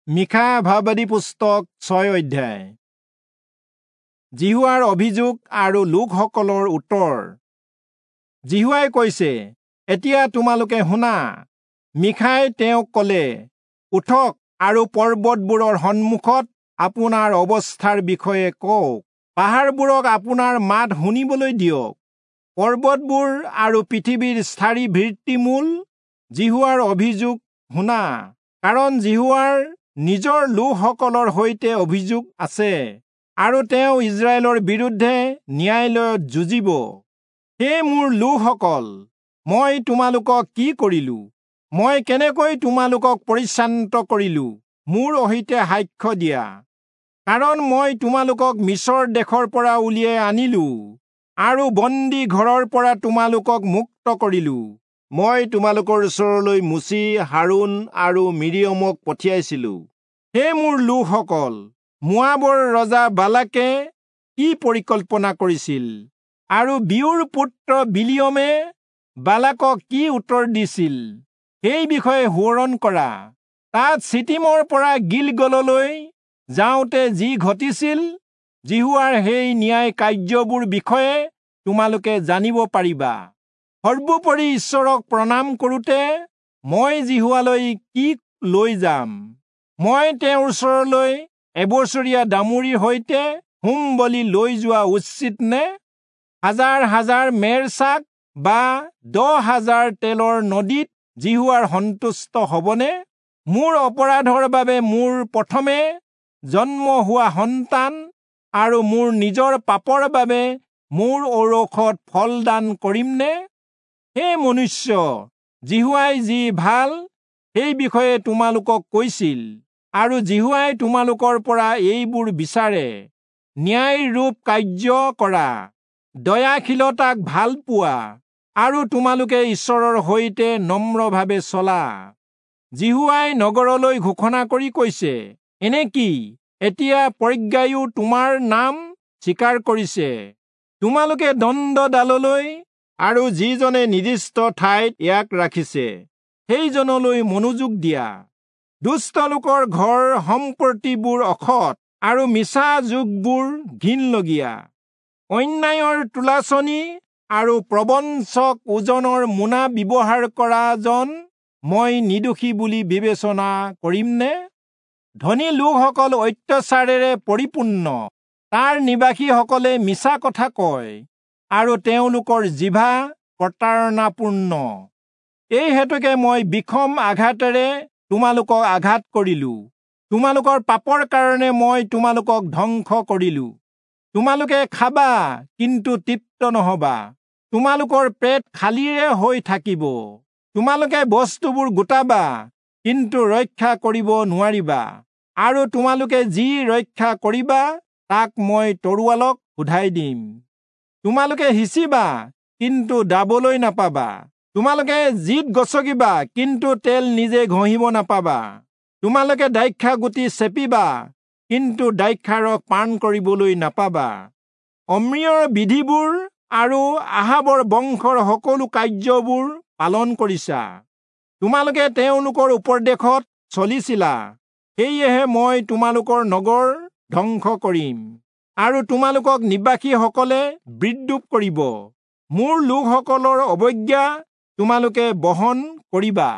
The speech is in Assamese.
মীখা ভাববাদী পুস্তক 6 অধ্যায়। যিহোৱাৰ অভিযোগ আৰু লোকসকলৰ উত্তৰ। যিহোৱাই কৈছে, এতিয়া তোমালোকে শুনা। মীখাই তেওঁক ক'লে, উঠক আৰু পৰ্বতবোৰৰ সন্মুখত আপোনাৰ অৱস্থাৰ বিষয়ে কওক, পাহাৰবোৰক আপোনাৰ মাত শুনিবলৈ দিয়ক। পৰ্বতবোৰ আৰু পৃথিৱীৰ স্থায়ী ভিত্তিমূল যিহোৱাৰ অভিযোগ শুনা, কাৰণ যিহোৱাৰ নিজৰ লোকসকলৰ সৈতে অভিযোগ আছে আৰু তেওঁ ইজৰাইলৰ বিৰুদ্ধে ন্যায়ালয়ত যুঁজিব। হে মোৰ লোকসকল, মই তোমালোকক কি কৰিলো? মই কেনেকৈ তোমালোকক পৰিশ্ৰান্ত কৰিলো? মোৰ অহিতে সাক্ষ্য দিয়া। কাৰণ মই তোমালোকক মিচৰ দেশৰ পৰা উলিয়াই আনিলো আৰু বন্দী ঘৰৰ পৰা তোমালোকক মুক্ত কৰিলো। মই তোমালোকৰ ওচৰলৈ মোচি, হাৰোণ আৰু মিৰিয়মক পঠিয়াইছিলো। হে মোৰ লোকসকল, মোৱাবৰ ৰজা বালাকে কি পৰিকল্পনা কৰিছিল আৰু বিয়োৰ পুত্ৰ বিলিয়মে বালাকক কি উত্তৰ দিছিল, সেই বিষয়ে সোঁৱৰণ কৰা। তাত চিটিমৰ পৰা গিলগললৈ যাওঁতে যি ঘটিছিল, যিহোৱাৰ সেই ন্যায় কাৰ্যবোৰ বিষয়ে তোমালোকে জানিব পাৰিবা। সৰ্বোপৰি ঈশ্বৰক প্ৰণাম কৰোঁতে মই যিহোৱালৈ কি লৈ যাম? মই তেওঁৰ ওচৰলৈ এবছৰীয়া দামুৰিৰ সৈতে হোম বলি লৈ যোৱা উচিত নে? হাজাৰ হাজাৰ মেৰ ছাগ বা 10,000 তেলৰ নদীত যিহোৱাৰ সন্তুষ্ট হ'বনে? মোৰ অপৰাধৰ বাবে মোৰ প্ৰথমে জন্ম হোৱা সন্তান আৰু মোৰ নিজৰ পাপৰ বাবে মোৰ ঔৰসত ফলদান কৰিমনে? হে মনুষ্য, যিহোৱাই যি ভাল সেই বিষয়ে তোমালোকক কৈছিল, আৰু যিহোৱাই তোমালোকৰ পৰা এইবোৰ বিচাৰে: ন্যায়ৰূপ কাৰ্য কৰা, দয়াশীলতাক ভাল পোৱা, আৰু তোমালোকে ঈশ্বৰৰ সৈতে নম্ৰভাৱে চলা। যিহোৱাই নগৰলৈ ঘোষণা কৰি কৈছে, এনেকি এতিয়া প্ৰজ্ঞায়ো তোমাৰ নাম স্বীকাৰ কৰিছে। তোমালোকে দণ্ডডাললৈ আৰু যিজনে নিৰ্দিষ্ট ঠাইত ইয়াক ৰাখিছে সেইজনলৈ মনোযোগ দিয়া। দুষ্ট লোকৰ ঘৰ সম্পত্তিবোৰ অসৎ আৰু মিছা যোগবোৰ ঘিণলগীয়া। অন্যায়ৰ তুলাচনী আৰু প্ৰবঞ্চক ওজনৰ মোনা ব্যৱহাৰ কৰাজন মই নিৰ্দোষী বুলি বিবেচনা কৰিমনে? ধনী লোকসকল অত্যাচাৰেৰে পৰিপূৰ্ণ, তাৰ নিবাসীসকলে মিছা কথা কয় আৰু তেওঁলোকৰ জিভা প্ৰতাৰণাপূৰ্ণ। এই হেতুকে মই বিষম আঘাতেৰে তোমালোকক আঘাত কৰিলো, তোমালোকৰ পাপৰ কাৰণে মই তোমালোকক ধ্বংস কৰিলো। তোমালোকে খাবা কিন্তু তৃপ্ত নহবা, তোমালোকৰ পেট খালীৰে হৈ থাকিব। তোমালোকে বস্তুবোৰ গোটাবা কিন্তু ৰক্ষা কৰিব নোৱাৰিবা, আৰু তোমালোকে যি ৰক্ষা কৰিবা তাক মই তৰোৱালক সোধাই দিম। তোমালোকে সিঁচিবা কিন্তু দাবলৈ নাপাবা, তোমালোকে জিত গছকিবা কিন্তু তেল নিজে ঘঁহিব নাপাবা। তোমালোকে দ্ৰাক্ষা গুটি চেপিবা কিন্তু দ্ৰাক্ষাৰস পান কৰিবলৈ নাপাবা। অম্ৰীয়ৰ বিধিবোৰ আৰু আহাবৰ বংশৰ সকলো কাৰ্যবোৰ পালন কৰিছা। তোমালোকে তেওঁলোকৰ উপদেশত চলিছিলা, সেয়েহে মই তোমালোকৰ নগৰ ধ্বংস কৰিম আৰু তোমালোকক নিবাসীসকলে বিদ্ৰূপ কৰিব। মোৰ লোকসকলৰ অৱজ্ঞা তোমালোকে বহন কৰিবা।